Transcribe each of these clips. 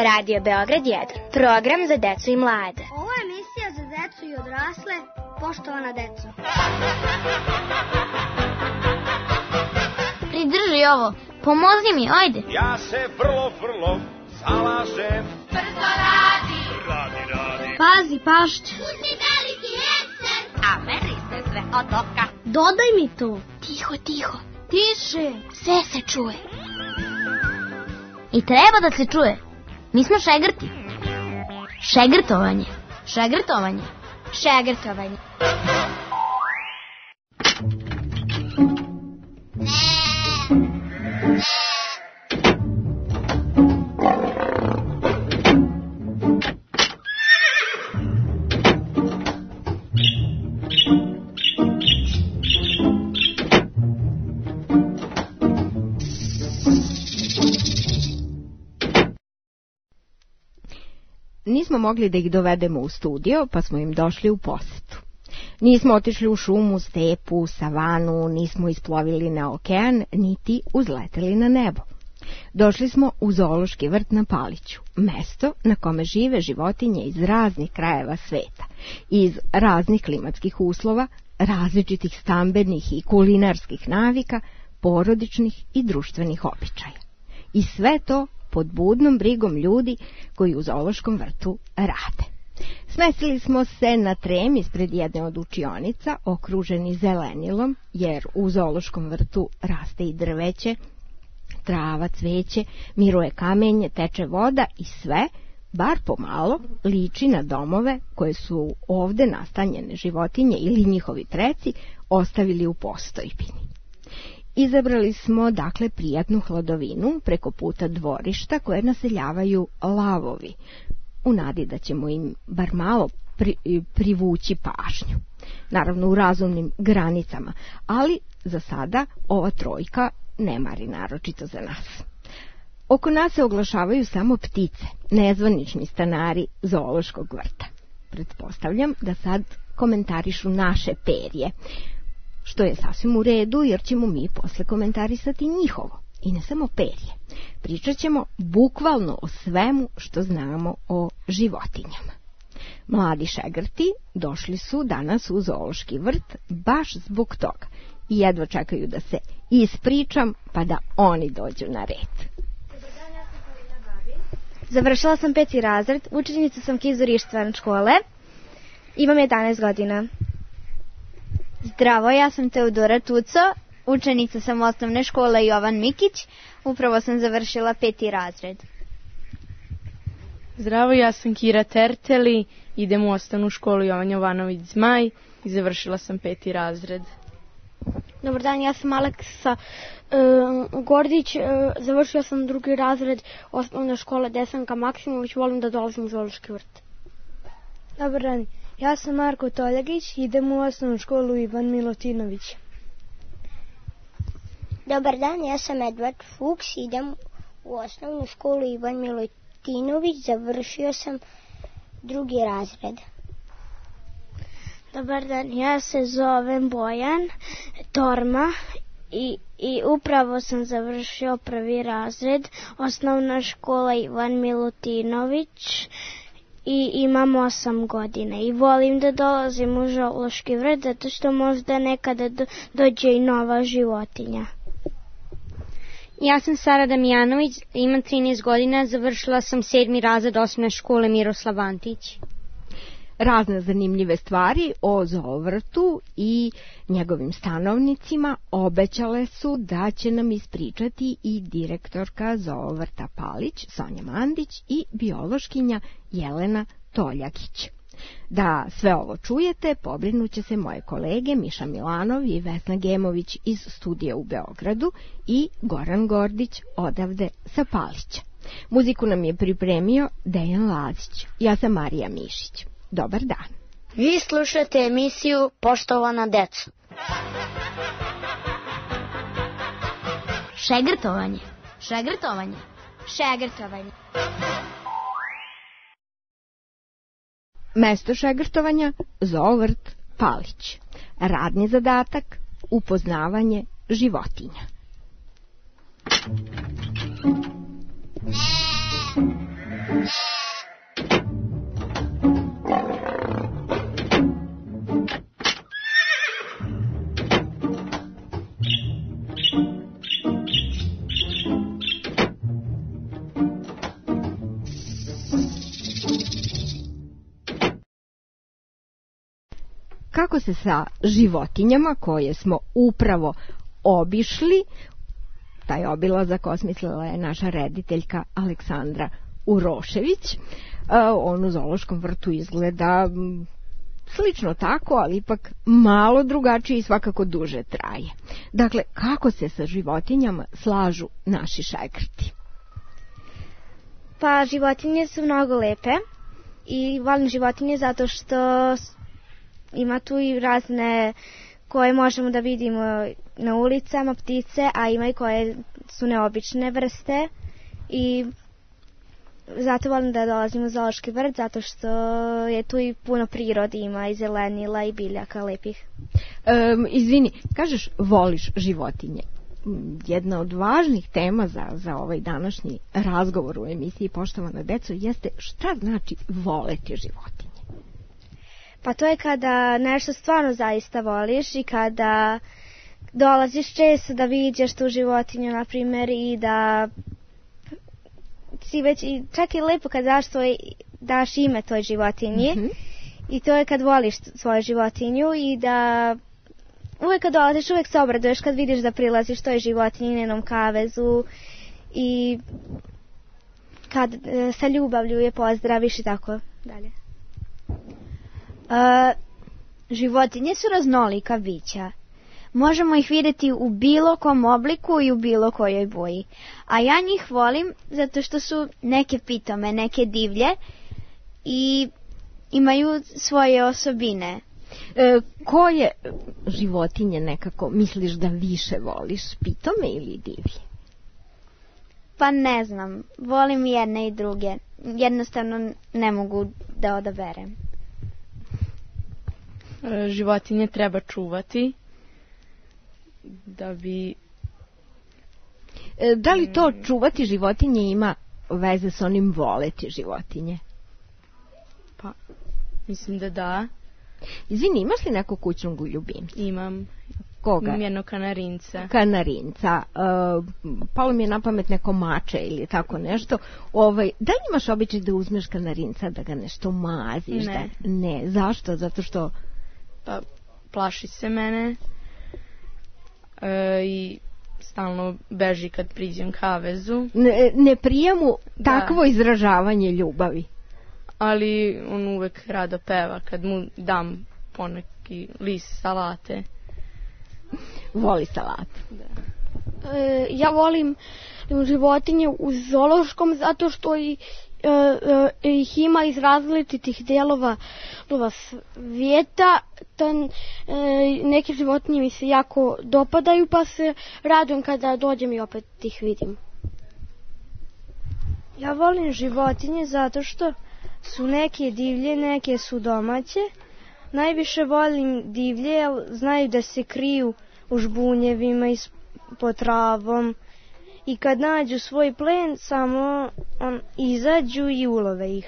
Radio Beograd 1, program za decu i mlade. Ovo je emisija za decu i odrasle, poštovana deco. Pridrži ovo, pomozi mi, ajde. Ja se vrlo zalažem. Brzo radi. Radi. Pazi, pašće. Pusti veliki ekser. A meni se sve od oka. Dodaj mi to. Tiho. Tiše. Sve se čuje. I treba da se čuje. Mi smo šegrti. Šegrtovanje. Nismo mogli da ih dovedemo u studio, pa smo im došli u posetu. Nismo otišli u šumu, stepu, savanu, nismo isplovili na okean, niti uzleteli na nebo. Došli smo u zoološki vrt na Paliću, mesto na kome žive životinje iz raznih krajeva sveta, iz raznih klimatskih uslova, različitih stambenih i kulinarskih navika, porodičnih i društvenih običaja. I sve to pod budnom brigom ljudi koji u zoološkom vrtu rade. Smestili smo se na trem ispred jedne od učionica, okruženi zelenilom, jer u zoološkom vrtu raste i drveće, trava, cveće, miruje kamenje, teče voda i sve, bar pomalo, liči na domove koje su ovde nastanjene životinje ili njihovi preci ostavili u postojbini. Izabrali smo, dakle, prijatnu hladovinu preko puta dvorišta koje naseljavaju lavovi, u nadi da ćemo im bar malo privući pažnju. Naravno u razumnim granicama, ali za sada ova trojka ne mari naročito za nas. Oko nas se oglašavaju samo ptice, nezvanični stanari zoološkog vrta. Pretpostavljam da sad komentarišu naše perje, što je sasvim u redu, jer ćemo mi posle komentarisati njihovo. I ne samo perje. Pričat ćemo bukvalno o svemu što znamo o životinjama. Mladi šegrti došli su danas u zoološki vrt baš zbog toga i jedva čekaju da se ispričam pa da oni dođu na red. Završila sam 5. razred, učenica sam Kizurištvan škole, imam 11 godina. Zdravo, ja sam Teodora Tuco, učenica sam osnovne škole Jovan Mikić, upravo sam završila 5. razred. Zdravo, ja sam Kira Terteli, idem u osnovnu školu Jovan Jovanović Zmaj i završila sam 5. razred. Dobar dan, ja sam Aleksa Gordić, završila sam 2. razred osnovne škole Desanka Maksimović, volim da dolazim u zoološki vrt. Dobar dan, ja sam Marko Toljagić, idem u osnovnu školu Ivan Milutinović. Dobar dan, ja sam Edvard Fuchs, idem u osnovnu školu Ivan Milutinović, završio sam 2. razred. Dobar dan, ja se zovem Bojan Torma i upravo sam završio 1. razred, osnovna škola Ivan Milutinović i imam 8 godina i volim da dolazim u zoološki vrt zato što možda nekada dođe i nova životinja. Ja sam Sara Damjanović, imam 13 godina, završila sam 7. razred osnovne škole Miroslav Antić. Razne zanimljive stvari o zoovrtu i njegovim stanovnicima obećale su da će nam ispričati i direktorka zoovrta Palić, Sonja Mandić, i biološkinja Jelena Toljagić. Da sve ovo čujete, pobrinuće se moje kolege Miša Milanov i Vesna Gemović iz studija u Beogradu i Goran Gordić odavde sa Palića. Muziku nam je pripremio Dejan Lazić. Ja sam Marija Mišić. Dobar dan. Vi slušate emisiju Poštovana deco. Šegrtovanje. Mesto šegrtovanja zoovrt Palić. Radni zadatak upoznavanje životinja. Kako se sa životinjama koje smo upravo obišli, taj obilazak osmislila je naša rediteljka Aleksandra Urošević. On u zoološkom vrtu izgleda slično tako, ali ipak malo drugačije i svakako duže traje. Dakle, kako se sa životinjama slažu naši šegrti? Pa životinje su mnogo lepe i volim životinje zato što ima tu i razne koje možemo da vidimo na ulicama, ptice, a ima i koje su neobične vrste i zato volim da dolazim u zoološki vrt, zato što je tu i puno prirode, ima i zelenila i biljaka lepih. Izvini, kažeš voliš životinje. Jedna od važnih tema za ovaj današnji razgovor u emisiji Poštovana deco jeste šta znači voleti životinje. Pa to je kada nešto stvarno zaista voliš i kada dolaziš često da vidiš tu životinju, na primjer, i da si već, čak i lepo kad daš ime toj životinji, i to je kad voliš svoju životinju i da uvijek kad dolaziš, uvijek se obraduješ kad vidiš da prilaziš toj životinji, njenom kavezu i kad sa ljubavlju je pozdraviš i tako dalje. Životinje su raznolika bića. Možemo ih vidjeti u bilo kom obliku i u bilo kojoj boji. A ja njih volim zato što su neke pitome, neke divlje i imaju svoje osobine. Koje životinje nekako misliš da više voliš, pitome ili divlje? Pa ne znam, volim jedne i druge. Jednostavno ne mogu da odaberem. Životinje treba čuvati da bi... Da li to čuvati životinje ima veze s onim voleti životinje? Pa, mislim da da. Izvini, imaš li nekog kućnog ljubimca? Imam. Koga? Imam jednog kanarinca. Kanarinca. Palo mi je na pamet neko mače ili tako nešto. Da li imaš običaj da uzmeš kanarinca, da ga nešto maziš? Ne. Ne. Zašto? Zato što... Pa, plaši se mene i stalno beži kad priđem kavezu. Ne prija mu takvo izražavanje ljubavi? Ali on uvek rado peva kad mu dam poneki list salate. Voli salatu. Da. Ja volim životinje u zoološkom zato što ih ima iz različitih delova svijeta. Neke životinje mi se jako dopadaju pa se radujem kada dođem i opet ih vidim. Ja volim životinje zato što su neke divlje, neke su domaće. Najviše volim divlje jer znaju da se kriju u žbunjevima i pod travom. I kad nađu svoj plen, samo izađu i ulove ih.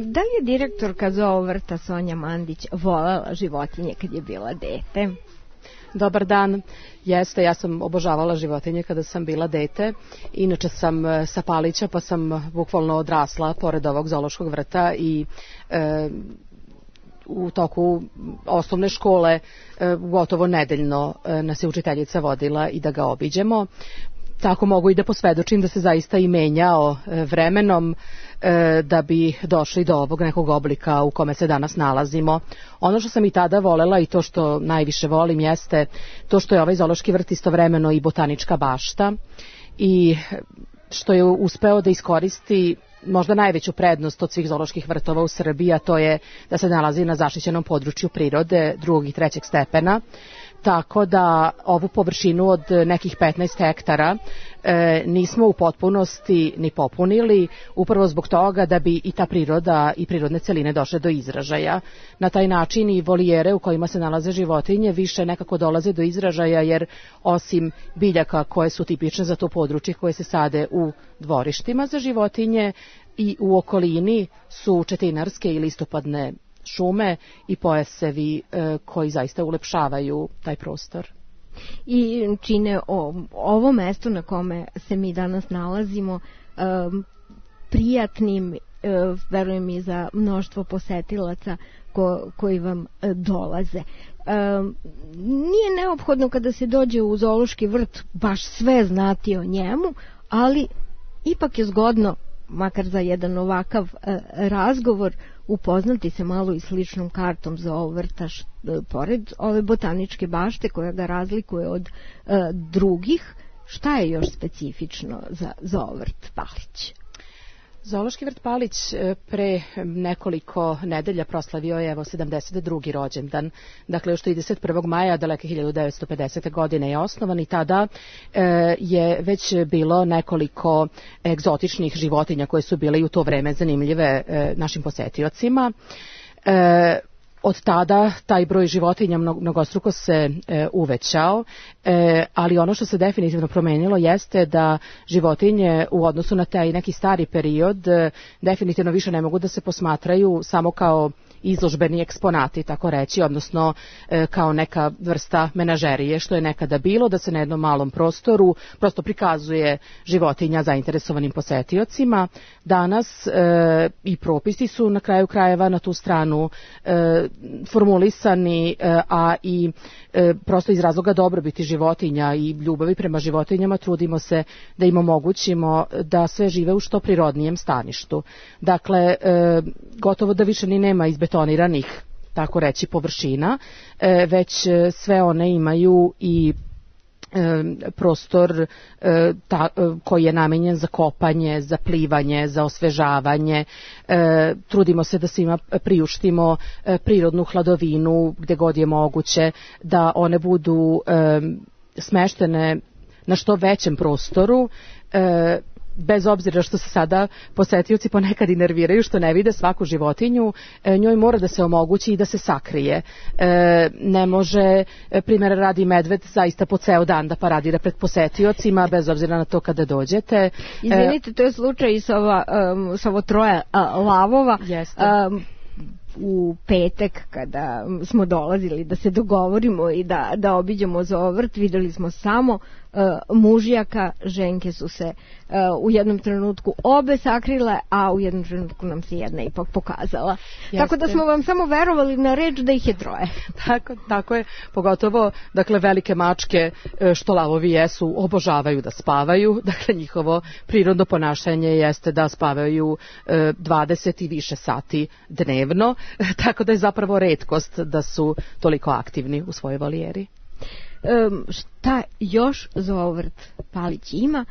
Da li je direktorka zoovrta Sonja Mandić voljela životinje kad je bila dete? Dobar dan. Jeste, ja sam obožavala životinje kada sam bila dete. Inače sam sa Palića, pa sam bukvalno odrasla pored ovog zoološkog vrta i u toku osnovne škole gotovo nedeljno nas je učiteljica vodila i da ga obiđemo. Tako mogu i da posvedočim da se zaista i menjao vremenom da bi došli do ovog nekog oblika u kome se danas nalazimo. Ono što sam i tada volela i to što najviše volim jeste to što je ovaj zoološki vrt istovremeno i botanička bašta i što je uspeo da iskoristi možda najveću prednost od svih zooloških vrtova u Srbiji, a to je da se nalazi na zaštićenom području prirode 2. i 3. stepena. tako da ovu površinu od nekih 15 hektara nismo u potpunosti ni popunili, upravo zbog toga da bi i ta priroda i prirodne celine došle do izražaja. Na taj način i volijere u kojima se nalaze životinje više nekako dolaze do izražaja, jer osim biljaka koje su tipične za to područje koje se sade u dvorištima za životinje, i u okolini su četinarske i listopadne šume i pojasevi koji zaista ulepšavaju taj prostor. I čine ovo mesto na kome se mi danas nalazimo prijatnim, verujem i za mnoštvo posetilaca koji vam dolaze. Nije neophodno kada se dođe u zoološki vrt baš sve znati o njemu, ali ipak je zgodno, makar za jedan ovakav razgovor, upoznati se malo i sličnom kartom zoovrta, pored ove botaničke bašte koja ga razlikuje od drugih. Šta je još specifično za zoovrt Palić? Zoološki vrt Palić pre nekoliko nedelja proslavio je 72. rođendan. Dakle, još 31. maja daleke 1950. godine je osnovan i tada je već bilo nekoliko egzotičnih životinja koje su bile i u to vreme zanimljive našim posetiocima. Od tada taj broj životinja mnogostruko se uvećao, ali ono što se definitivno promenilo jeste da životinje u odnosu na taj neki stari period definitivno više ne mogu da se posmatraju samo kao izložbeni eksponati, tako reći, odnosno kao neka vrsta menažerije, što je nekada bilo, da se na jednom malom prostoru prosto prikazuje životinja zainteresovanim posetiocima. Danas i propisi su na kraju krajeva na tu stranu formulisani, a i prosto iz razloga dobrobiti životinja i ljubavi prema životinjama trudimo se da im omogućimo da sve žive u što prirodnijem staništu. Dakle, gotovo da više ni nema izbetoniranih, tako reći, površina, već sve one imaju i prostor koji je namenjen za kopanje, za plivanje, za osvežavanje. Trudimo se da svima priuštimo prirodnu hladovinu gde god je moguće, da one budu smeštene na što većem prostoru, bez obzira što se sada posetioci ponekad i nerviraju što ne vide svaku životinju, njoj mora da se omogući i da se sakrije. Ne može, primjer radi medved, zaista po ceo dan da paradira pred posetiocima, bez obzira na to kada dođete. Izvinite, to je slučaj i sa ovo troje lavova. Jeste. U petak kada smo dolazili da se dogovorimo i da obiđemo zoovrt, videli smo samo mužjaka, ženke su se u jednom trenutku obe sakrile, a u jednom trenutku nam se jedna ipak pokazala. Jeste. Tako da smo vam samo verovali na reč da ih je troje. Tako je, pogotovo dakle velike mačke, što lavovi jesu, obožavaju da spavaju, dakle njihovo prirodno ponašanje jeste da spavaju 20 i više sati dnevno, tako da je zapravo retkost da su toliko aktivni u svojoj volijeri. Šta još zoovrt Palić ima?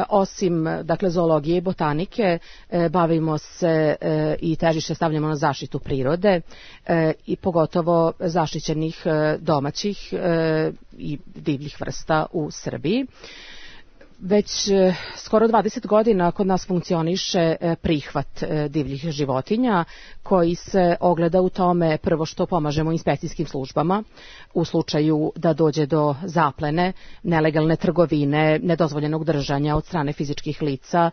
Osim dakle zoologije i botanike, bavimo se i težište stavljamo na zaštitu prirode i pogotovo zaštićenih domaćih i divljih vrsta u Srbiji. Već skoro 20 godina kod nas funkcioniše prihvat divljih životinja koji se ogleda u tome prvo što pomažemo inspekcijskim službama u slučaju da dođe do zaplene, nelegalne trgovine, nedozvoljenog držanja od strane fizičkih lica,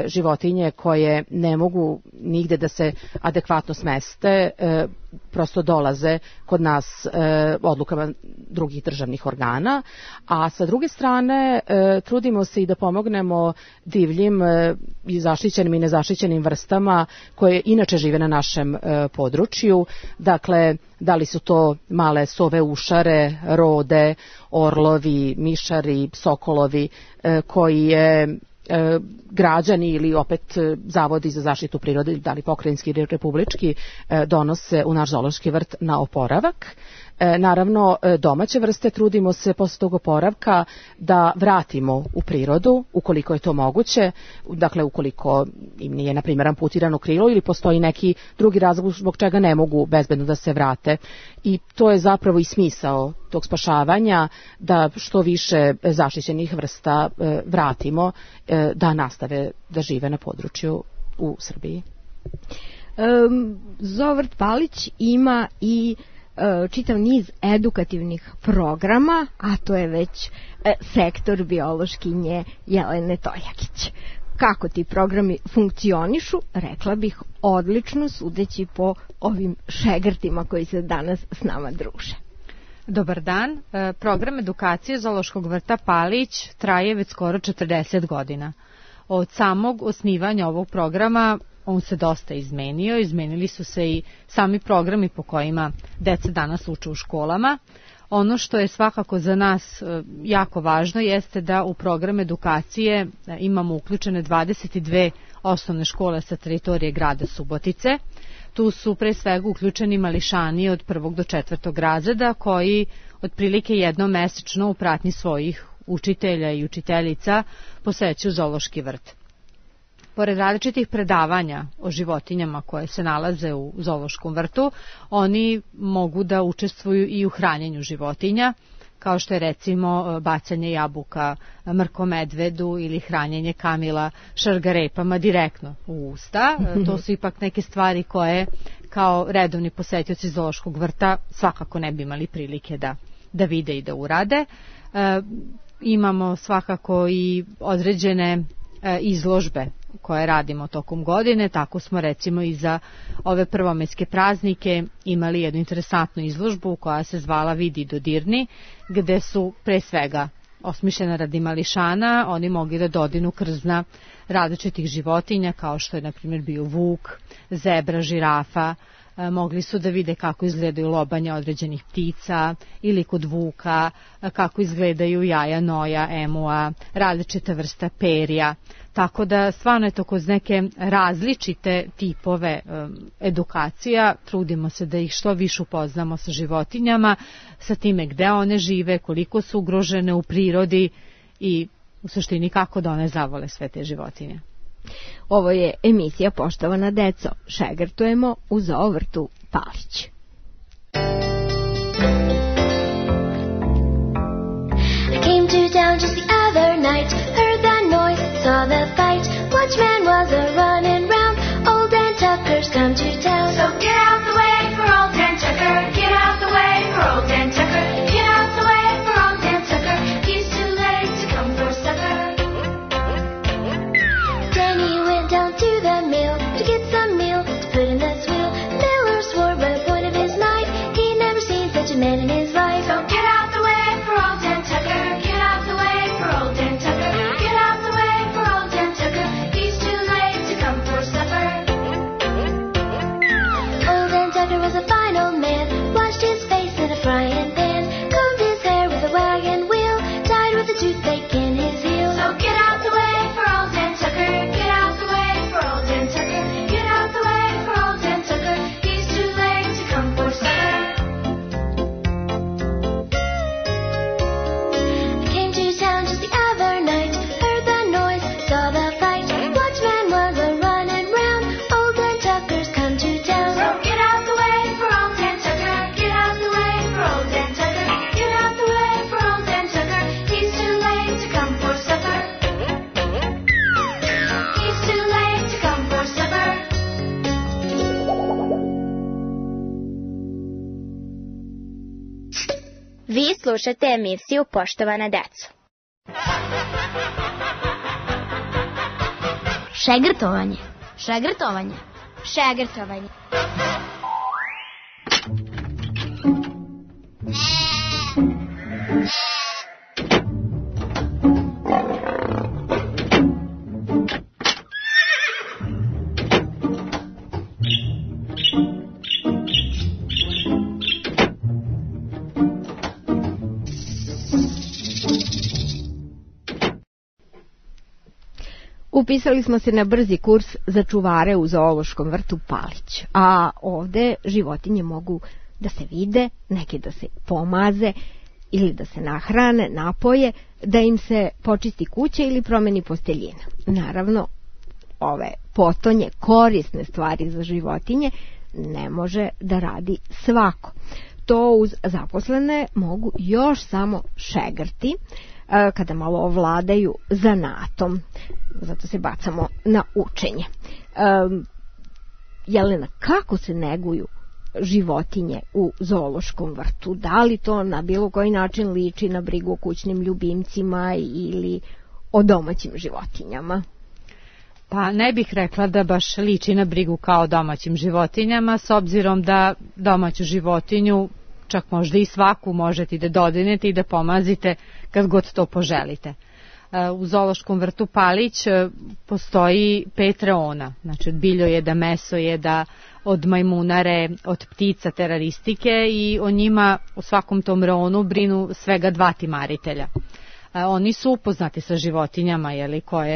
životinje koje ne mogu nigde da se adekvatno smeste, prosto dolaze kod nas odlukama drugih državnih organa, a sa druge strane trudimo se i da pomognemo divljim i zaštićenim i nezaštićenim vrstama koje inače žive na našem području. Dakle, da li su to male sove ušare, rode, orlovi, mišari, sokolovi koji je građani ili opet zavodi za zaštitu prirode, da li pokrajinski ili republički, donose u naš zoološki vrt na oporavak. Naravno, domaće vrste trudimo se posle tog oporavka da vratimo u prirodu, ukoliko je to moguće, dakle ukoliko im nije, na primjer, amputirano krilo ili postoji neki drugi razlog zbog čega ne mogu bezbedno da se vrate. I to je zapravo i smisao tog spašavanja, da što više zaštićenih vrsta vratimo da nastave da žive na području u Srbiji. Zoovrt Palić ima i čitav niz edukativnih programa, a to je već sektor biološkinje Jelene Tojakić. Kako ti programi funkcionišu, rekla bih odlično, sudeći po ovim šegrtima koji se danas s nama druže. Dobar dan. Program edukacije Zoološkog vrta Palić traje već skoro 40 godina. Od samog osnivanja ovog programa on se dosta izmenio, izmenili su se i sami programi po kojima deca danas uče u školama. Ono što je svakako za nas jako važno jeste da u program edukacije imamo uključene 22 osnovne škole sa teritorije grada Subotice. Tu su pre svega uključeni mališani od 1. do 4. razreda koji otprilike jednom mesečno u pratnji svojih učitelja i učiteljica posećuju zoološki vrt. Pored različitih predavanja o životinjama koje se nalaze u zoološkom vrtu, oni mogu da učestvuju i u hranjenju životinja, kao što je recimo bacanje jabuka mrkomedvedu ili hranjenje kamila šargarepama direktno u usta. To su ipak neke stvari koje kao redovni posetioci zoološkog vrta svakako ne bi imali prilike da vide i da urade. Imamo svakako i određene izložbe koje radimo tokom godine, tako smo recimo i za ove prvomajske praznike imali jednu interesantnu izložbu koja se zvala Vidi i dodirni, gde su pre svega osmišljena radi mališana, oni mogli da dodinu krzna različitih životinja kao što je na primjer bio vuk, zebra, žirafa, mogli su da vide kako izgledaju lobanja određenih ptica ili kod vuka, kako izgledaju jaja noja, emua, različita vrsta perja. Tako da stvarno je to kroz neke različite tipove edukacija, trudimo se da ih što više upoznamo sa životinjama, sa time gde one žive, koliko su ugrožene u prirodi i u suštini kako da one zavole sve te životinje. Ovo je emisija Poštovana deco. Šegrtujemo u Zoovrtu Palić. I came to town just the other night, heard the noise, saw the fight. Watchman was a-running round, old Dan Tucker's come to town. So get out the way for old Dan Tucker, get out the way for old Dan Tucker, get out the way for old Dan Tucker, he's too late to come for supper. Danny went down to the mill to get some meal to put in the swill. Miller swore by the point of his knife he'd never seen such a man in his life. So get out the way for old Dan Tucker, get out the way for old Dan Tucker, get out the way for old Dan Tucker, he's too late to come for supper. Old Dan Tucker was a fine old man, washed his face in a frying pan, combed his hair with a wagon wheel, tied with a toothpick in his heel. So get out the way for old Dan Tucker, get out the way for old Dan Tucker, get out the way for old Dan Tucker, he's too late to come for supper. I came to town just the other night, heard the noise, saw the fight. Watchman was a-running round, old Dan Tucker's come to town. So get out the way for old Dan Tucker, get out the way for old Dan Tucker, get out the way for old Dan Tucker, he's too late to come for supper. He's too late to come for supper. Vi slušate emisiju Poštovana deco. Šegrtovanje. Šegrtovanje. Šegrtovanje. Upisali smo se na brzi kurs za čuvare u zoološkom vrtu Palić, a ovde životinje mogu da se vide, neki da se pomaze ili da se nahrane, napoje, da im se počisti kuća ili promeni posteljina. Naravno, ove potonje, korisne stvari za životinje ne može da radi svako. To uz zaposlene mogu još samo šegrti kada malo ovladaju zanatom. Zato se bacamo na učenje. Jelena, kako se neguju životinje u zoološkom vrtu? Da li to na bilo koji način liči na brigu o kućnim ljubimcima ili o domaćim životinjama? Pa ne bih rekla da baš liči na brigu kao domaćim životinjama, s obzirom da domaću životinju, čak možda i svaku, možete da dodirnete i da pomazite kad god to poželite. U zoološkom vrtu Palić postoji 5 reona, znači od biljojeda, mesojeda, od majmunare, od ptica teraristike i o njima u svakom tom reonu brinu svega 2 timaritelja. Oni su upoznati sa životinjama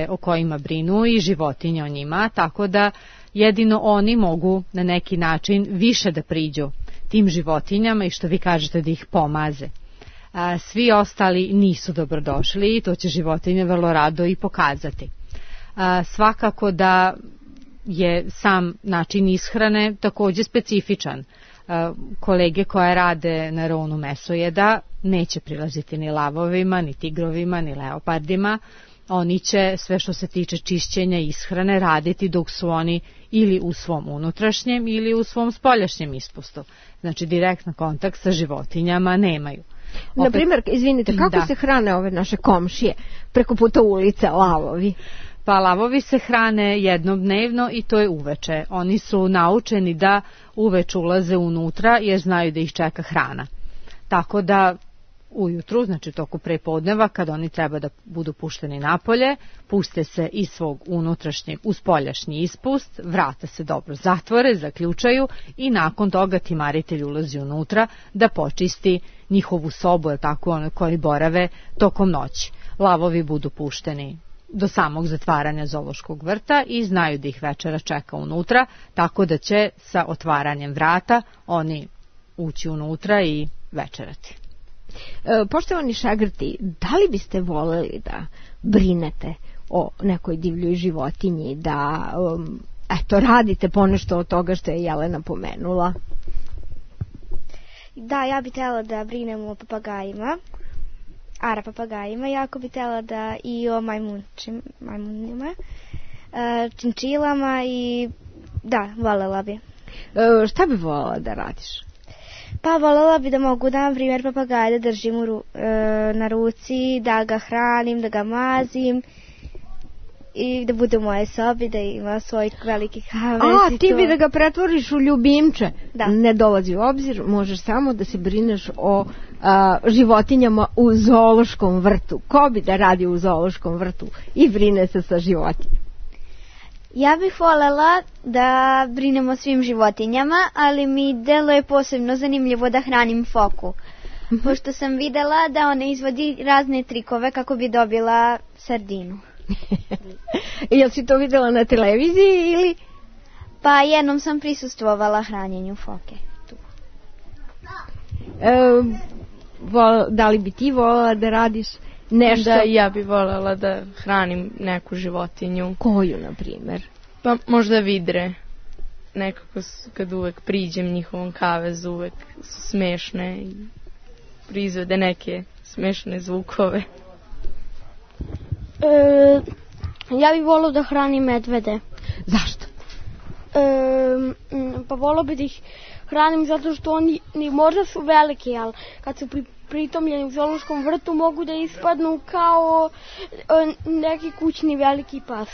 o kojima brinu i životinje o njima, tako da jedino oni mogu na neki način više da priđu tim životinjama i što vi kažete da ih pomaze. Svi ostali nisu dobrodošli i to će životinje vrlo rado i pokazati. Svakako da je sam način ishrane također specifičan. Kolege koje rade na reonu mesojeda neće prilaziti ni lavovima, ni tigrovima, ni leopardima. Oni će sve što se tiče čišćenja ishrane raditi dok su oni ili u svom unutrašnjem ili u svom spoljašnjem ispustu. Znači direktno kontakt sa životinjama nemaju. Na primjer, izvinite, kako se hrane ove naše komšije preko puta ulice, lavovi? Pa lavovi se hrane jednom dnevno i to je uveče. Oni su naučeni da uveče ulaze unutra jer znaju da ih čeka hrana. Tako da ujutru, znači toku prepodneva, kad oni treba da budu pušteni napolje, puste se iz svog unutrašnjeg u spoljašnji ispust, vrata se dobro zatvore, zaključaju i nakon toga timaritelj ulazi unutra da počisti njihovu sobu, tako ono koji borave tokom noći. Lavovi budu pušteni do samog zatvaranja zoološkog vrta i znaju da ih večera čeka unutra, tako da će sa otvaranjem vrata oni ući unutra i večerati. Poštovani šegrti, da li biste voljeli da brinete o nekoj divljoj životinji, da radite ponešto od toga što je Jelena pomenula? Da, ja bih htjela da brinem o papagajima, ara papagajima, jako bih htjela da i o majmunima, činčilama i da, voljela bi. Šta bi voljela da radiš? Pa voljela bi da mogu da, na primjer, papagaja da držim na ruci, da ga hranim, da ga mazim i da bude u moje sobi, da ima svoj veliki kavez. A, ti bi da ga pretvoriš u ljubimče? Da. Ne dolazi u obzir, možeš samo da se brineš o životinjama u zoološkom vrtu. Ko bi da radi u zoološkom vrtu i brine se sa životinjama? Ja bih voljela da brinem o svim životinjama, ali mi deluje posebno zanimljivo da hranim foku. Pošto sam videla da ona izvodi razne trikove kako bi dobila sardinu. Jel si to videla na televiziji ili? Pa jednom sam prisustvovala hranjenju foke. Da li bi ti voljela da radiš nešto? Da, ja bi voljela da hranim neku životinju. Koju, na primjer? Pa možda vidre. Nekako kad uvek priđem njihovom kavezu, uvek su smešne i proizvode neke smešne zvukove. Ja bih volio da hranim medvede. Zašto? Pa volio bih da ih hranim zato što oni možda su veliki, ali kad su pritomljeni u zoološkom vrtu mogu da ispadnu kao neki kućni veliki pas.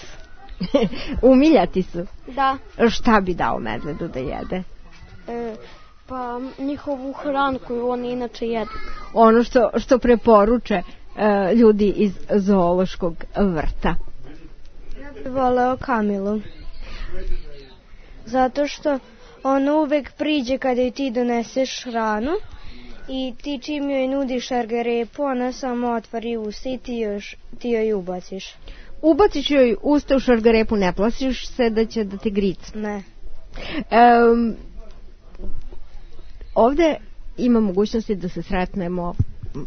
Umiljati su? Da. Šta bi dao medvedu da jede? Pa njihovu hranu koju oni inače jedu. Ono što preporuče ljudi iz zoološkog vrta. Ja bih voleo Kamilu. Zato što ona uvek priđe kada joj ti doneseš hranu i ti čim joj nudiš šargarepu, ona samo otvori usta i ti joj ubaciš. Ubaciš joj usta u šargarepu, ne plašiš se da će da te grica? Ne. ovde ima mogućnosti da se sretnemo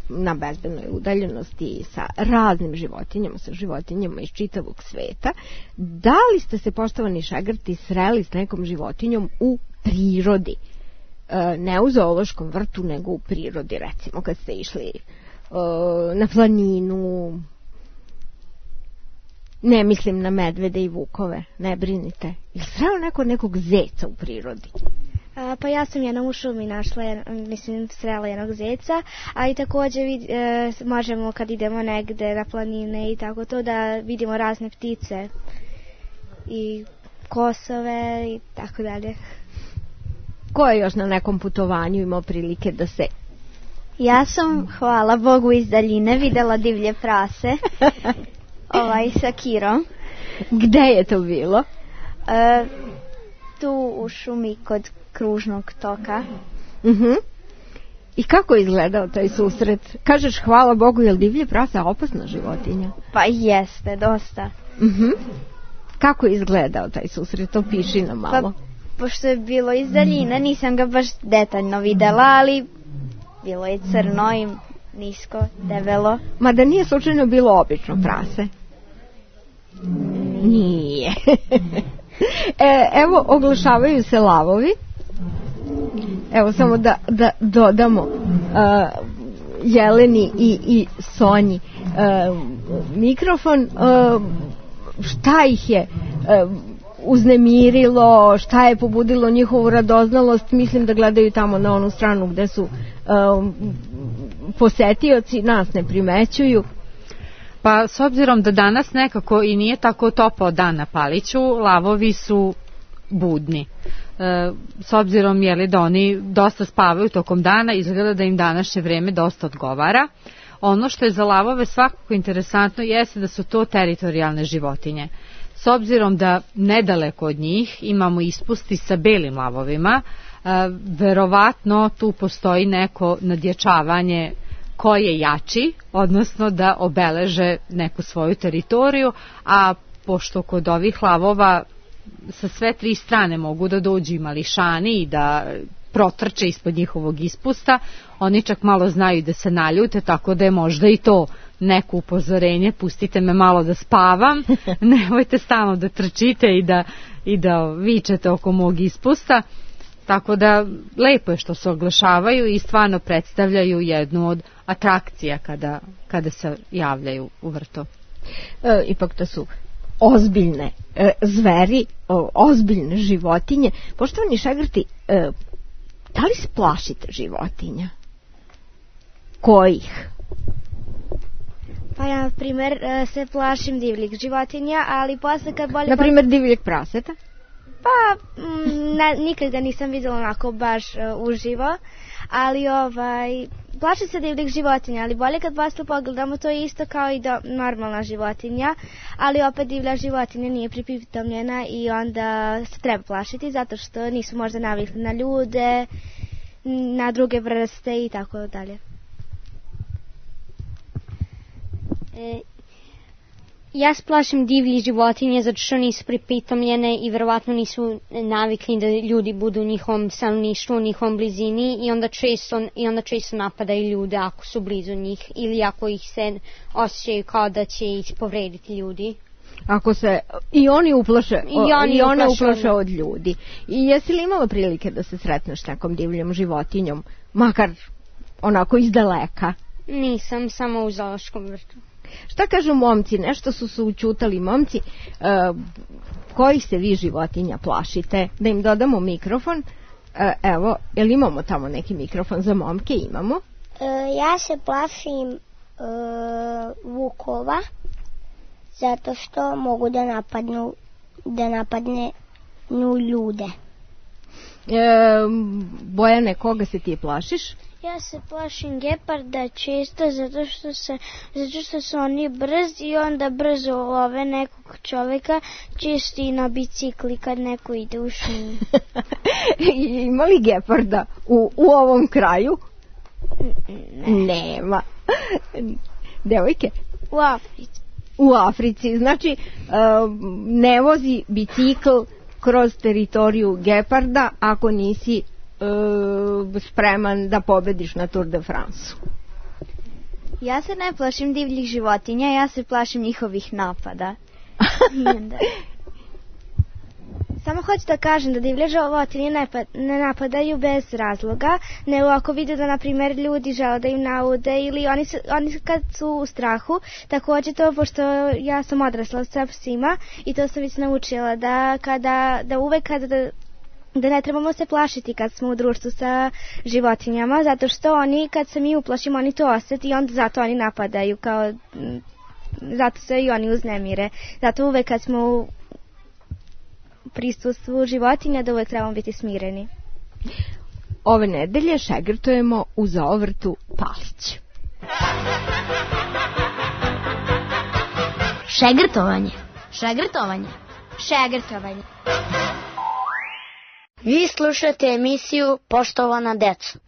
na bezbednoj udaljenosti sa raznim životinjama, sa životinjama iz čitavog sveta. Da li ste se, poštovani šegrti, sreli s nekom životinjom u prirodi? Ne u zoološkom vrtu, nego u prirodi, recimo kad ste išli na planinu. Ne mislim na medvede i vukove, ne brinite. Je li sreo neko od nekog zeca u prirodi? Pa ja sam jednom u šumi našla, srela jednog zeca, a i također možemo kad idemo negde na planine i tako to da vidimo razne ptice i kosove i tako dalje. Ko je još na nekom putovanju imao prilike da se... Ja sam, hvala Bogu, iz daljine videla divlje prase sa Kirom. Gde je to bilo? Tu u šumi kod kružnog toka. I kako je izgledao taj susret? Kažeš hvala Bogu, je li divlje prase opasna životinja? Pa jeste, dosta. Kako je izgledao taj susret? Opiši nam malo. Pošto je bilo iz daljine, nisam ga baš detaljno videla, ali bilo je crno i nisko, debelo. Ma da nije slučajno bilo obično prase? Nije. Evo, oglašavaju se lavovi. Evo, samo da dodamo Jeleni i Sonji mikrofon. Šta ih je uznemirilo, šta je pobudilo njihovu radoznalost? Mislim da gledaju tamo na onu stranu gde su posetioci, nas ne primećuju. Pa s obzirom da danas nekako i nije tako topao dan na Paliću, lavovi su budni. S obzirom da oni dosta spavaju tokom dana, izgleda da im današnje vreme dosta odgovara. Ono što je za lavove svakako interesantno jeste da su to teritorijalne životinje. S obzirom da nedaleko od njih imamo ispusti sa belim lavovima, verovatno tu postoji neko nadjačavanje ko je jači, odnosno da obeleže neku svoju teritoriju, a pošto kod ovih lavova sa sve tri strane mogu da dođu i mališani i da protrče ispod njihovog ispusta, oni čak malo znaju da se naljute, tako da je možda i to neko upozorenje, pustite me malo da spavam, nemojte stalno da trčite i da vičete oko mog ispusta. Tako da lepo je što se oglašavaju i stvarno predstavljaju jednu od atrakcija kada se javljaju u vrtu. Ipak to su ozbiljne zveri, ozbiljne životinje. Poštovani šegrti, da li se plašite životinja? Kojih? Pa ja, na primjer, se plašim divljih životinja, ali posle kad bolje... Na primjer, divljeg praseta? Pa, nikad ga nisam vidjela onako baš uživo, ali plašim se divljih životinja, ali bolje kad posle pogledamo, to je isto kao i normalna životinja, ali opet divlja životinja nije pripitomljena i onda se treba plašiti zato što nisu možda navikli na ljude, na druge vrste i tako dalje. Ja se plašim divljih životinje zato što nisu pripitomljene i verovatno nisu navikli da ljudi budu u njihovom stanovništvu, u njihovom blizini i onda često napadaju ljude ako su blizu njih ili ako ih se osjećaju kao da će ih povrediti ljudi. Ako se i oni uplaše, i one uplaše od ljudi. I jesi li imala prilike da se sretneš s nekom divljom životinjom, makar onako iz daleka? Nisam, samo u zoološkom vrtu. Šta kažu momci? Nešto su se učutali momci. Kojih se vi životinja plašite? Da im dodamo mikrofon. Evo, jel imamo tamo neki mikrofon za momke? Imamo. Ja se plašim vukova, zato što mogu da napadnu ljude. Bojane, koga se ti plašiš? Ja se plašim geparda često zato što su oni brzi i onda brzo love nekog čovjeka, često i na bicikli kad neko ide u šumu. Ima li geparda u ovom kraju? Nema. Devojke? U Africi. U Africi, znači ne vozi bicikl kroz teritoriju geparda ako nisi spreman da pobediš na Tour de France? Ja se ne plašim divljih životinja, ja se plašim njihovih napada. Samo hoću da kažem da divlje životinje ne napadaju bez razloga, nego ako vide da, na primjer, ljudi žele da im naude ili oni kad su u strahu, također to, pošto ja sam odrasla sa psima i to sam već naučila, da uvek da ne trebamo se plašiti kad smo u društvu sa životinjama, zato što oni, kad se mi uplašimo, oni to osjeti i onda zato oni napadaju, zato se i oni uznemire. Zato uvek kad smo u prisustvu životinja, da uvek trebamo biti smireni. Ove nedelje šegrtujemo u zoovrtu Palić. Šegrtovanje. Šegrtovanje. Šegrtovanje. Vi slušate emisiju Poštovana deco.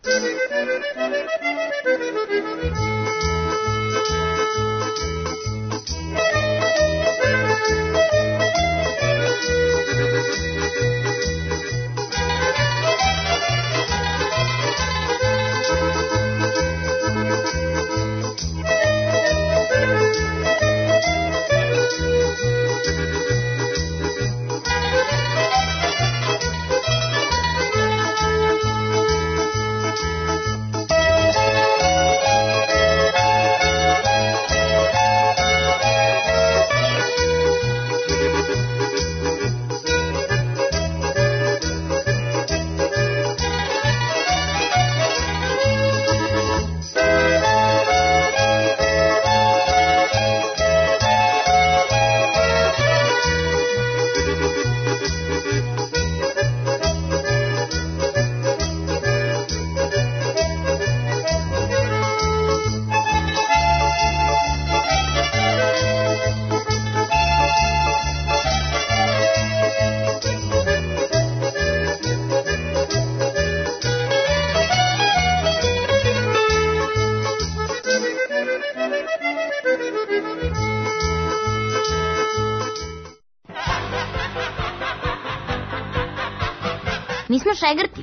Mi smo šegrti.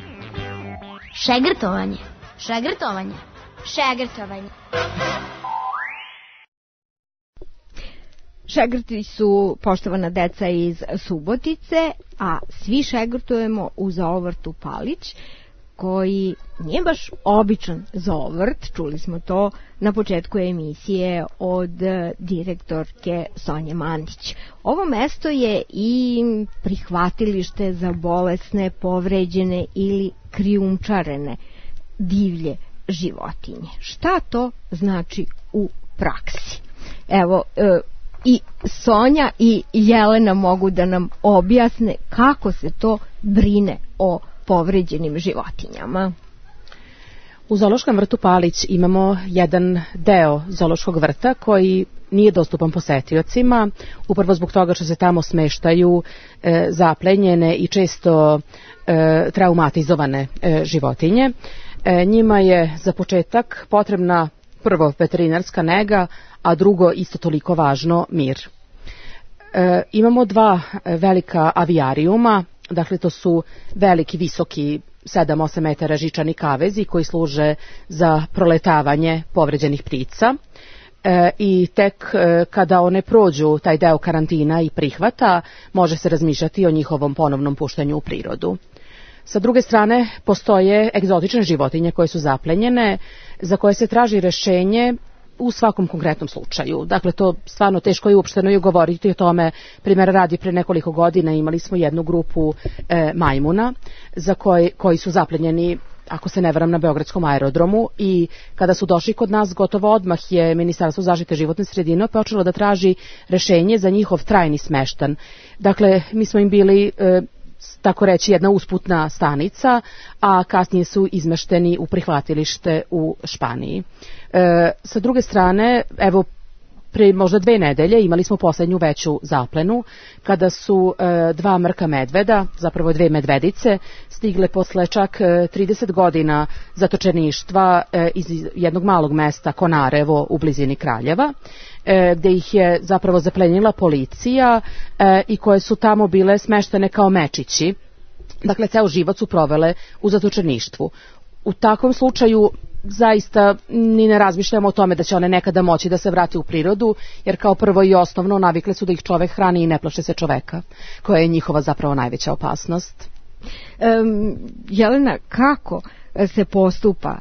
Šegrtovanje. Šegrtovanje. Šegrtovanje. Šegrti su poštovana deca iz Subotice, a svi šegrtujemo u zoovrtu Palić, koji nije baš običan zoovrt, čuli smo to na početku emisije od direktorke Sonje Mandić. Ovo mesto je i prihvatilište za bolesne, povređene ili krijumčarene divlje životinje. Šta to znači u praksi? Evo, i Sonja i Jelena mogu da nam objasne kako se to brine o povređenim životinjama. U Zoološkom vrtu Palić imamo jedan deo zoološkog vrta koji nije dostupan posetiocima, upravo zbog toga što se tamo smeštaju zaplenjene i često traumatizovane životinje. Njima je za početak potrebna prvo veterinarska nega, a drugo isto toliko važno mir. Imamo dva velika avijarijuma, dakle to su veliki, visoki 7-8 metara žičani kavezi koji služe za proletavanje povređenih ptica i tek kada one prođu taj deo karantina i prihvata, može se razmišljati o njihovom ponovnom puštanju u prirodu. Sa druge strane, postoje egzotične životinje koje su zaplenjene, za koje se traži rešenje u svakom konkretnom slučaju. Dakle, to stvarno teško je uopšteno i govoriti o tome. Primjer radi, pre nekoliko godina imali smo jednu grupu majmuna za koji su zaplenjeni, ako se ne varam, na Beogradskom aerodromu, i kada su došli kod nas, gotovo odmah je Ministarstvo zaštite životne sredine počelo da traži rešenje za njihov trajni smeštan. Dakle, mi smo im bili tako reći jedna usputna stanica, a kasnije su izmešteni u prihvatilište u Španiji. Sa druge strane, evo, pre možda 2 nedelje imali smo poslednju veću zaplenu, kada su 2 mrka medveda, zapravo 2 medvedice, stigle posle čak 30 godina zatočeništva iz jednog malog mesta Konarevo u blizini Kraljeva, gde ih je zapravo zaplenila policija i koje su tamo bile smeštene kao mečići. Dakle, ceo život su provele u zatočeništvu. u takvom slučaju zaista ni ne razmišljamo o tome da će one nekada moći da se vrati u prirodu, jer kao prvo i osnovno navikle su da ih čovek hrani i ne plaše se čoveka, koja je njihova zapravo najveća opasnost. Jelena, kako se postupa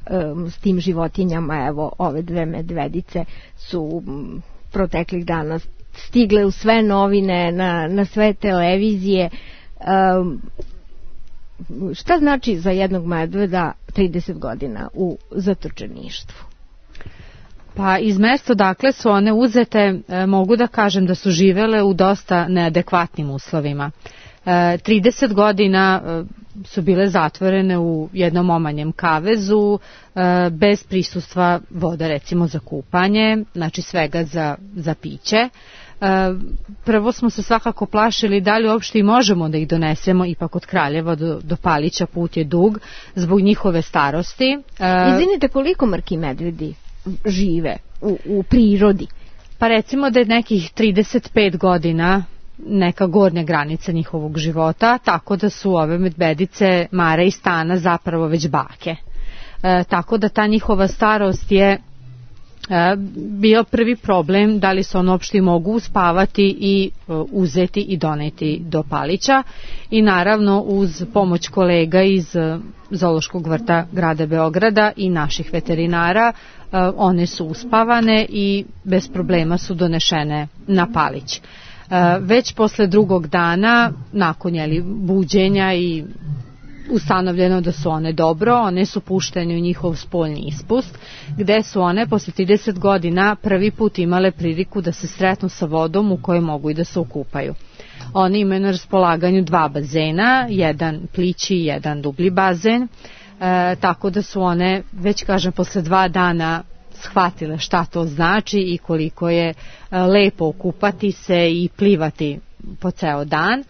s tim životinjama? Evo, ove dve medvedice su proteklih dana stigle u sve novine, na sve televizije. Šta znači za jednog medveda 30 godina u zatočeništvu? Pa iz mesta dakle su one uzete, mogu da kažem da su živele u dosta neadekvatnim uslovima. 30 godina su bile zatvorene u jednom omanjem kavezu, bez prisustva vode, recimo za kupanje, znači svega za piće. Prvo smo se svakako plašili da li uopšte i možemo da ih donesemo, ipak od Kraljeva do Palića put je dug zbog njihove starosti. Izvinite, koliko mrki medvedi žive u prirodi? Pa recimo da je nekih 35 godina neka gornja granica njihovog života, tako da su ove medvedice Mare i Stana zapravo već bake. Tako da ta njihova starost je bio prvi problem da li se on uopšte mogu uspavati i uzeti i doneti do Palića, i naravno uz pomoć kolega iz Zoološkog vrta grada Beograda i naših veterinara one su uspavane i bez problema su donešene na Palić. Već posle drugog dana, nakon buđenja i ustanovljeno da su one dobro, one su puštene u njihov spoljni ispust, gde su one posle 30 godina prvi put imale priliku da se sretnu sa vodom u kojoj mogu i da se okupaju. One imaju na raspolaganju 2 bazena, jedan plići i jedan dublji bazen, tako da su one već, kažem, posle 2 dana shvatile šta to znači i koliko je lepo okupati se i plivati po ceo dan.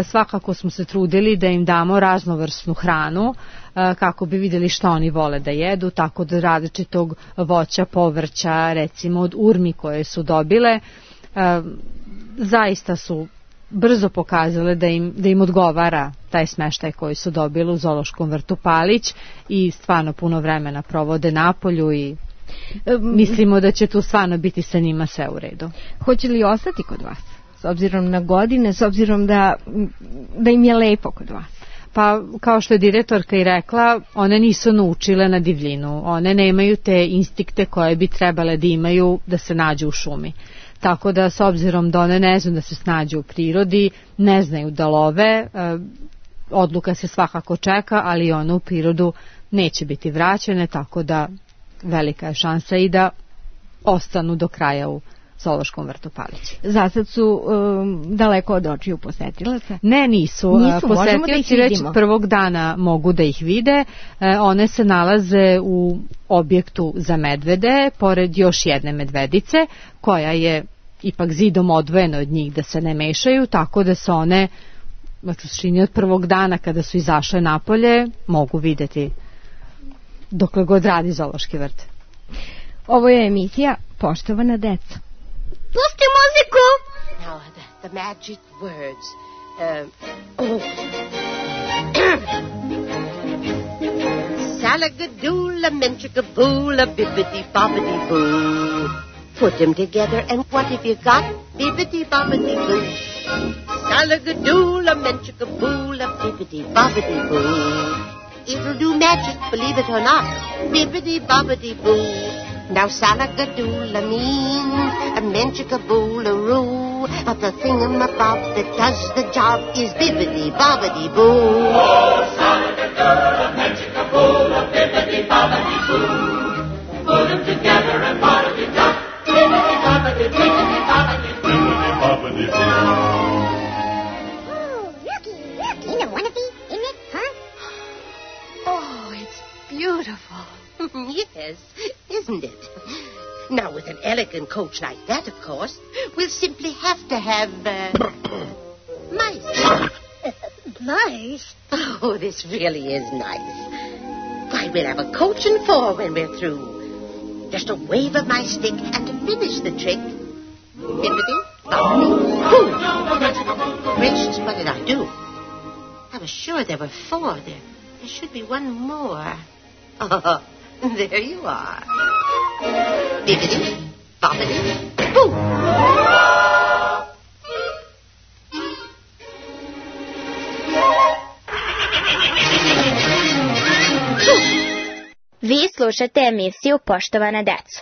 Svakako smo se trudili da im damo raznovrsnu hranu kako bi vidjeli šta oni vole da jedu, tako da različitog voća, povrća, recimo od urmi koje su dobile, zaista su brzo pokazale da im odgovara taj smeštaj koji su dobili u Zoološkom vrtu Palić i stvarno puno vremena provode napolju i mislimo da će tu stvarno biti sa njima sve u redu. Hoće li ostati kod vas? S obzirom na godine, s obzirom da im je lepo kod vas? Pa, kao što je direktorka i rekla, one nisu naučile na divljinu. One nemaju te instikte koje bi trebale da imaju da se nađu u šumi. Tako da, s obzirom da one ne znaju da se snađu u prirodi, ne znaju da love, odluka se svakako čeka, ali one u prirodu neće biti vraćene, tako da velika je šansa i da ostanu do kraja u Zoološkom vrtu Palić. Zasad su daleko od očiju posetilaca? Ne, nisu. Posetioci već prvog dana mogu da ih vide. One se nalaze u objektu za medvede, pored još jedne medvedice, koja je ipak zidom odvojena od njih da se ne mešaju, tako da se one u suštini od prvog dana kada su izašle napolje mogu videti dokle god radi Zoološki vrt. Ovo je emisija Poštovana deca. Pusti muziku! Now, the magic words. Salagadoola, menchikaboola, bibbidi-bobbidi-boo. Put them together and what have you got? Bibbidi-bobbidi-boo. Salagadoola, menchikaboola, bibbidi-bobbidi-boo. It'll do magic, believe it or not. Bibbidi-bobbidi-boo. Now salagadoola means a menchikaboola-roo, but the thingamabob that does the job is bibbidi-bobbidi-boo. Oh, salagadoola, menchikaboola, bibbidi-bobbidi-boo. Put them together and bobbidi-doo. Bibbidi-bobbidi, bibbidi-bobbidi, bibbidi-bobbidi-boo. Oh, looky, in a wannabe, isn't it, huh? Oh, it's beautiful. Yes, isn't it? Now, with an elegant coach like that, of course, we'll simply have to have, mice. Mice? Oh, this really is nice. Why, we'll have a coach and 4 when we're through. Just a wave of my stick and to finish the trick. Bibbidi, bobbidi, boo. Gracious, what did I do? I was sure there were 4. There should be one more. There you are. Bippity, boppity, boo! Vi slušate emisiju Poštovana deco.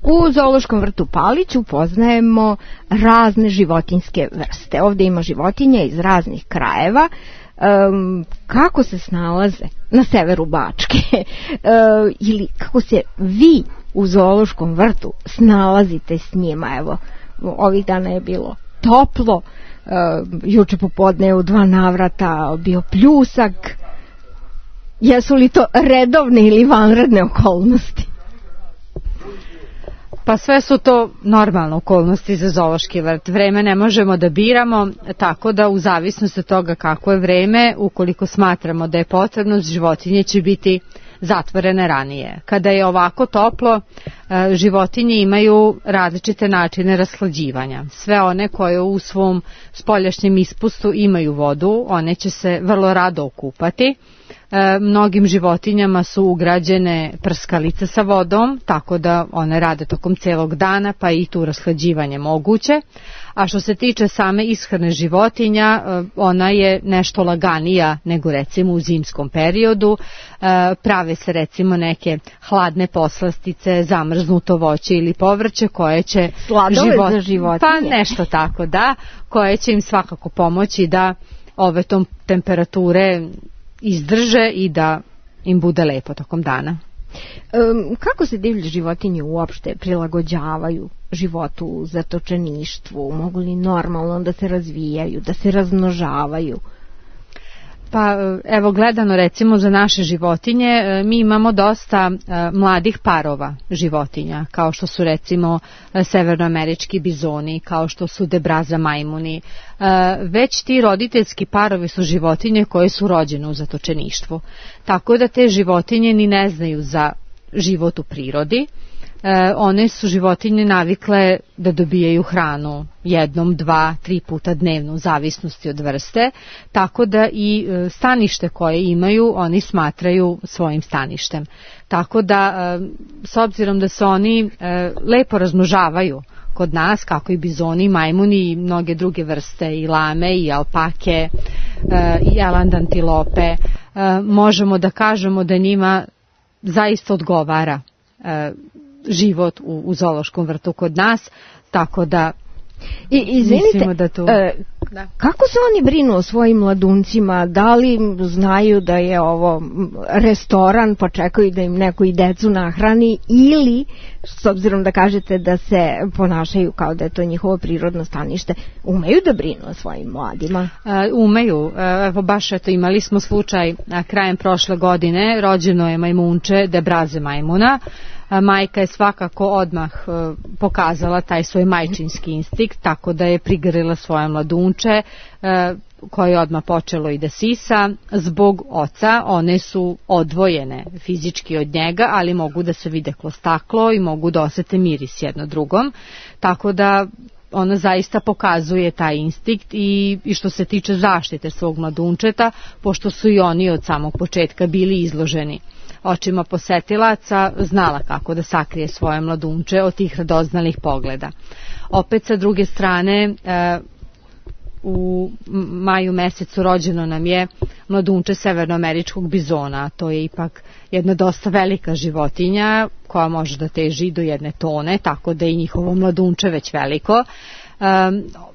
U zoološkom vrtu Palić upoznajemo razne životinjske vrste. Ovdje ima životinje iz raznih krajeva. Kako se snalaze na severu Bačke ili kako se vi u zoološkom vrtu snalazite s njima? Evo, ovih dana je bilo toplo, juče popodne je u 2 navrata bio pljusak. Jesu li to redovne ili vanredne okolnosti? Pa sve su to normalne okolnosti za zoološki vrt. Vreme ne možemo da biramo, tako da u zavisnosti od toga kako je vreme, ukoliko smatramo da je potrebno, životinje će biti zatvorene ranije. Kada je ovako toplo, životinje imaju različite načine rashlađivanja. Sve one koje u svom spoljašnjem ispustu imaju vodu, one će se vrlo rado okupati. Mnogim životinjama su ugrađene prskalice sa vodom, tako da one rade tokom celog dana, pa i tu rashlađivanje moguće. A što se tiče same ishrane životinja, ona je nešto laganija nego recimo u zimskom periodu. Prave se recimo neke hladne poslastice, zamrznuto voće ili povrće koje će za životinje. Pa nešto tako, da, koje će im svakako pomoći da ove tom temperature izdrže i da im bude lepo tokom dana. Kako se divlje životinje uopšte prilagođavaju životu u zatočeništvu? Mogu li normalno da se razvijaju, da se razmnožavaju? Pa evo, gledano recimo za naše životinje, mi imamo dosta mladih parova životinja, kao što su recimo severnoamerički bizoni, kao što su debraza majmuni. Već ti roditeljski parovi su životinje koje su rođene u zatočeništvu, tako da te životinje ni ne znaju za život u prirodi. One su životinje navikle da dobijaju hranu 1, 2, 3 puta dnevno u zavisnosti od vrste, tako da i stanište koje imaju oni smatraju svojim staništem. Tako da s obzirom da se oni lepo razmnožavaju kod nas, kako i bizoni, majmuni i mnoge druge vrste, i lame, i alpake, i eland antilope, možemo da kažemo da njima zaista odgovara život u zoološkom vrtu kod nas, tako da izvinite, da tu... Kako se oni brinu o svojim mladuncima? Da li znaju da je ovo restoran pa čekaju da im neko i decu nahrani, ili s obzirom da kažete da se ponašaju kao da je to njihovo prirodno stanište, umeju da brinu o svojim mladima? Umeju. Evo baš imali smo slučaj krajem prošle godine, rođeno je majmunče debraze majmuna. Majka je svakako odmah pokazala taj svoj majčinski instinkt, tako da je prigrlila svoje mladunče koje je odmah počelo i da sisa. Zbog oca one su odvojene fizički od njega, ali mogu da se vide kroz staklo i mogu da osete miris jedno drugom, tako da ona zaista pokazuje taj instinkt i što se tiče zaštite svog mladunčeta, pošto su i oni od samog početka bili izloženi očima posetilaca, znala kako da sakrije svoje mladunče od tih radoznalih pogleda. Opet sa druge strane, u maju mesecu rođeno nam je mladunče severnoameričkog bizona. To je ipak jedna dosta velika životinja koja može da teži do 1 tone, tako da je i njihovo mladunče već veliko.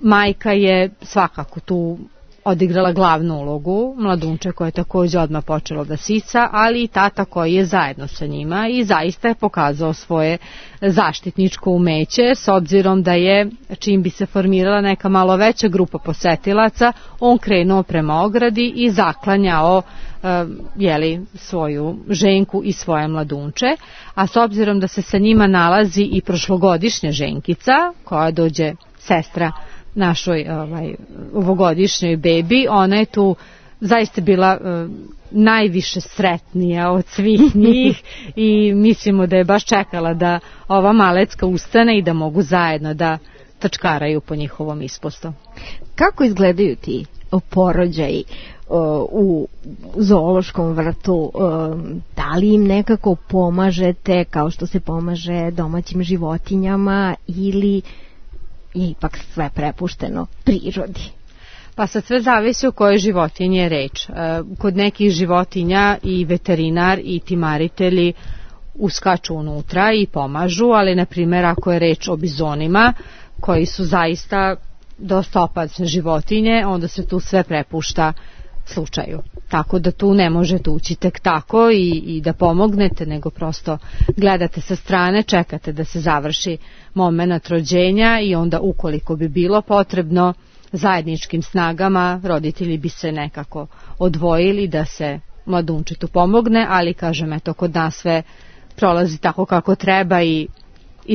Majka je svakako tu odigrala glavnu ulogu, mladunče koje je također odmah počelo da sisa, ali i tata koji je zajedno sa njima i zaista je pokazao svoje zaštitničko umeće, s obzirom da je, čim bi se formirala neka malo veća grupa posetilaca, on krenuo prema ogradi i zaklanjao svoju ženku i svoje mladunče, a s obzirom da se sa njima nalazi i prošlogodišnja ženkica koja dođe sestra našoj ovogodišnjoj bebi. Ona je tu zaista bila najviše sretnija od svih njih i mislimo da je baš čekala da ova malecka ustane i da mogu zajedno da tačkaraju po njihovom ispustu. Kako izgledaju ti porođaji u zoološkom vrtu? Da li im nekako pomažete kao što se pomaže domaćim životinjama ili je ipak sve prepušteno prirodi? Pa sad sve zavisi o kojoj životinji je reč. Kod nekih životinja i veterinar i timaritelji uskaču unutra i pomažu, ali na primjer ako je reč o bizonima koji su zaista dosta opasne životinje, onda se tu sve prepušta slučaju. Tako da tu ne možete ući tek tako i da pomognete, nego prosto gledate sa strane, čekate da se završi moment rođenja i onda ukoliko bi bilo potrebno zajedničkim snagama roditelji bi se nekako odvojili da se mladunčetu pomogne, ali kažem, eto, kod nas sve prolazi tako kako treba i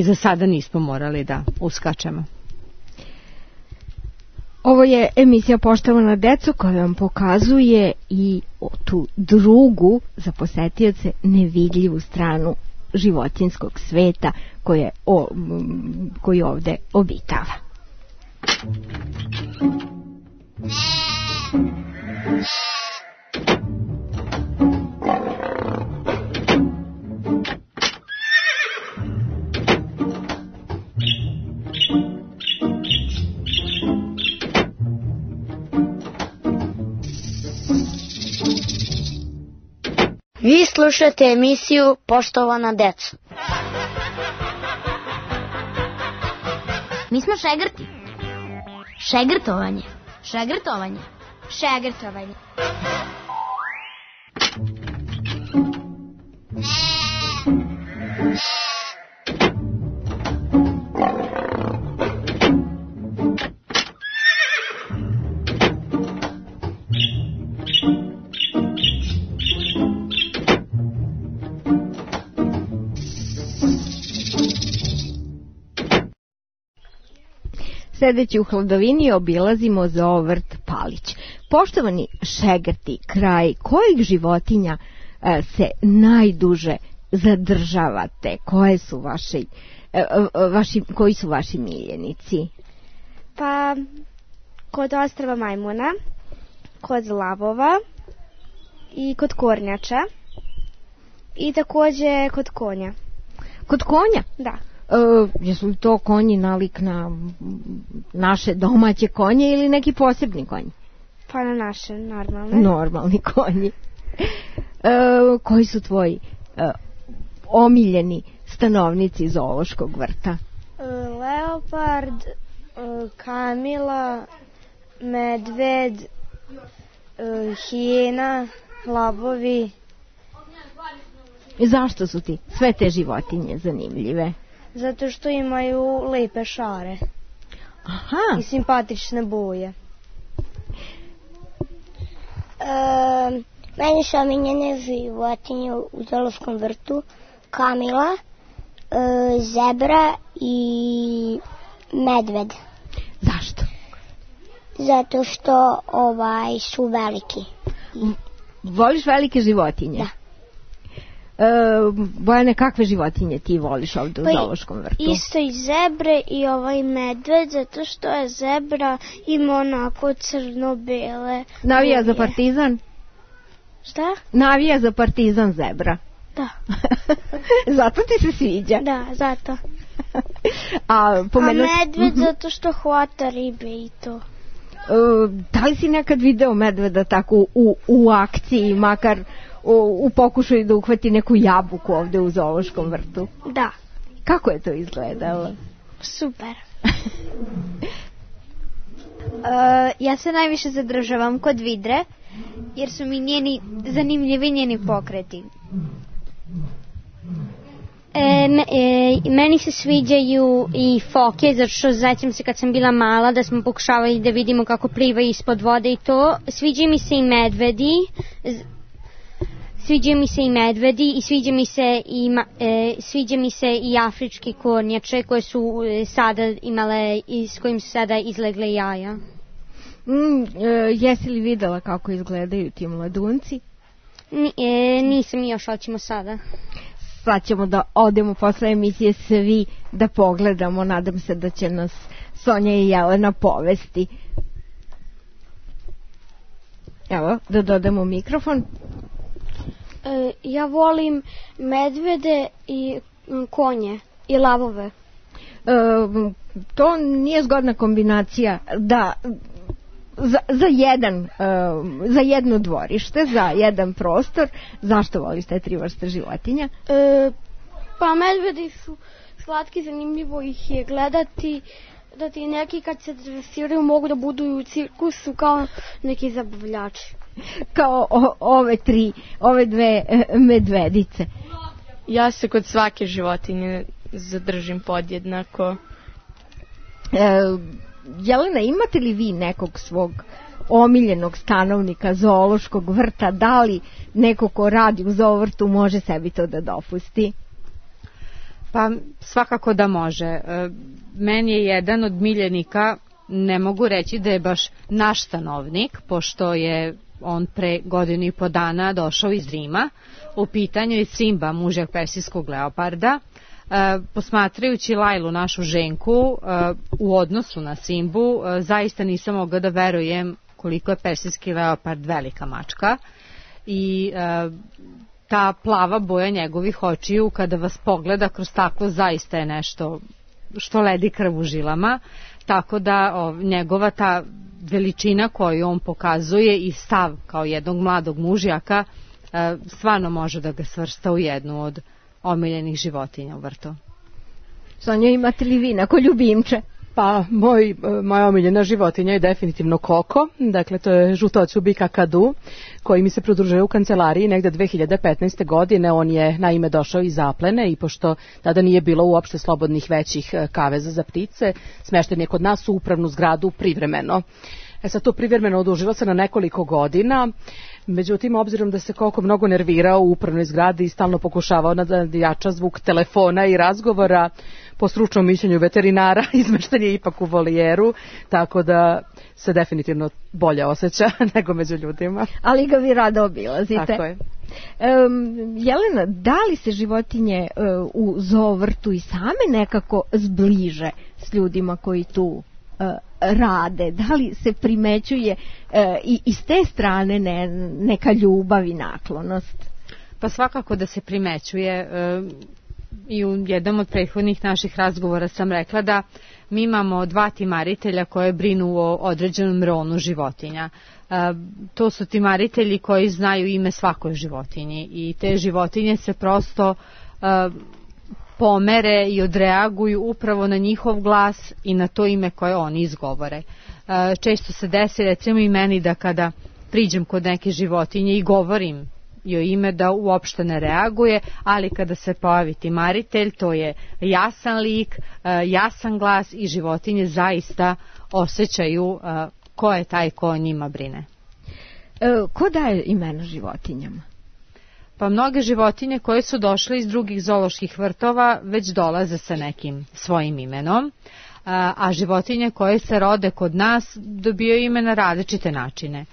za sada nismo morali da uskačemo. Ovo je emisija Poštovana deco koja vam pokazuje i tu drugu za posetioce nevidljivu stranu životinskog sveta koji ovde obitava. Vi slušate emisiju Poštovana deco. Mi smo šegrti. Šegrtovanje. Šegrtovanje. Šegrtovanje. Sedeći u hladovini obilazimo zoovrt Palić. Poštovani šegrti, kraj kojih životinja se najduže zadržavate? Koji su vaši miljenici? Pa kod ostrva majmuna, kod lavova i kod kornjača i takođe kod konja. Kod konja? Da. Jesu li to konji nalik na naše domaće konje ili neki posebni konji? Pa na naše, normalne. Normalni konji. Koji su tvoji omiljeni stanovnici zoološkog vrta? Leopard, kamila, medved, hijena, lavovi. Zašto su ti sve te životinje zanimljive? Zato što imaju lepe šare. Aha. I simpatične boje. Meni su omiljene životinje u zoološkom vrtu kamila, zebra i medved. Zašto? Zato što su veliki. Voliš velike životinje? Da. Bojane, kakve životinje ti voliš ovdje u zoološkom vrtu? Isto i zebre i medved, zato što je zebra ima onako crno-bele. Navija za Partizan? Šta? Navija za Partizan zebra. Da. Zato ti se sviđa? Da, zato. A medved zato što hvata ribe i to. Da li si nekad video medveda tako u akciji, makar u pokušaju da uhvati neku jabuku ovde u zoološkom vrtu? Da. Kako je to izgledalo? Super. Ja se najviše zadržavam kod vidre, jer su mi zanimljivi njeni pokreti. Meni se sviđaju i foke, zato što zatim se kad sam bila mala da smo pokušavali da vidimo kako pliva ispod vode i to. Sviđaju mi se i medvedi. sviđaju mi se i medvedi i sviđa mi se i afričke kornjače koje su sada imale, s kojim su sada izlegle jaja. Jesi li videla kako izgledaju ti mladunci? Nisam još, ali ćemo sada. Sad ćemo da odemo posle emisije svi da pogledamo. Nadam se da će nas Sonja i Jelena povesti. Evo, da dodamo mikrofon. Ja volim medvede i konje i lavove. To nije zgodna kombinacija da za jedno dvorište, za jedan prostor. Zašto voliš te tri vrste životinja? Pa medvedi su slatki, zanimljivo ih je gledati, da ti neki kad se dresiraju mogu da budu u cirkusu kao neki zabavljači. Kao ove dve medvedice. Ja se kod svake životinje zadržim podjednako. Jelena, imate li vi nekog svog omiljenog stanovnika zoološkog vrta? Da li neko ko radi u zoovrtu može sebi to da dopusti? Pa svakako da može. Meni je jedan od miljenika, ne mogu reći da je baš naš stanovnik, pošto je on pre 1.5 godina došao iz Rima. U pitanju je Simba, mužjak persijskog leoparda. Posmatrajući Lajlu, našu ženku, u odnosu na Simbu, zaista nisam mogla da verujem koliko je persijski leopard velika mačka i ta plava boja njegovih očiju kada vas pogleda kroz staklo zaista je nešto što ledi krv u žilama, tako da njegova ta veličina koju on pokazuje i stav kao jednog mladog mužjaka stvarno može da ga svrsta u jednu od omiljenih životinja u vrtu. Sonja, imate li vi neko ljubimče? Pa, moja omiljena životinja je definitivno Koko, dakle to je žutoćubi kakadu, koji mi se pridružuje u kancelariji negde 2015. godine. On je naime došao iz Zaplene i pošto tada nije bilo uopšte slobodnih većih kaveza za ptice, smešten je kod nas u upravnu zgradu privremeno. Sad to privremeno odužilo se na nekoliko godina, međutim, obzirom da se Koko mnogo nervirao u upravnoj zgradi i stalno pokušavao da jača zvuk telefona i razgovora, po stručnom mišljenju veterinara, izmešten je ipak u volijeru, tako da se definitivno bolje osjeća nego među ljudima. Ali ga vi rado obilazite. Tako je. Jelena, da li se životinje u zoovrtu i same nekako zbliže s ljudima koji tu rade? Da li se primećuje i s te strane neka ljubav i naklonost? Pa svakako da se primećuje. I u jednom od prethodnih naših razgovora sam rekla da mi imamo 2 timaritelja koje brinu o određenom ronu životinja. To su timaritelji koji znaju ime svakoj životinji i te životinje se prosto pomere i odreaguju upravo na njihov glas i na to ime koje oni izgovore. Često se desi, recimo i meni, da kada priđem kod neke životinje i govorim joj ime, da uopšte ne reaguje, ali kada se pojavi timaritelj, to je jasan lik, jasan glas i životinje zaista osjećaju ko je taj ko o njima brine. Ko daje imena životinjama? Pa mnoge životinje koje su došle iz drugih zooloških vrtova već dolaze sa nekim svojim imenom, a životinje koje se rode kod nas dobijaju ime na različite načine.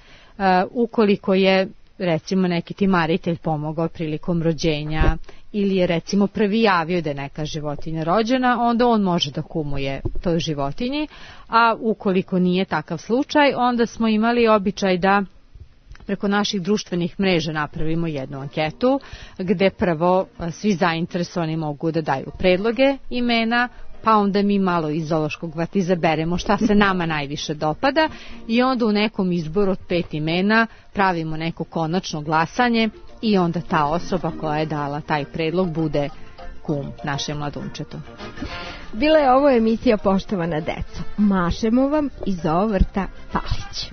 Ukoliko je recimo neki timaritelj pomogao prilikom rođenja ili je recimo prvi javio da je neka životinja rođena, onda on može da kumuje toj životinji, a ukoliko nije takav slučaj, onda smo imali običaj da preko naših društvenih mreža napravimo jednu anketu gde prvo svi zainteresovani mogu da daju predloge imena, pa onda mi malo iz zoološkog vrta izaberemo šta se nama najviše dopada i onda u nekom izboru od 5 imena pravimo neko konačno glasanje i onda ta osoba koja je dala taj predlog bude kum našem mladunčetu. Bila je ovo emisija Poštovana deco. Mašemo vam iz zoovrta Palić.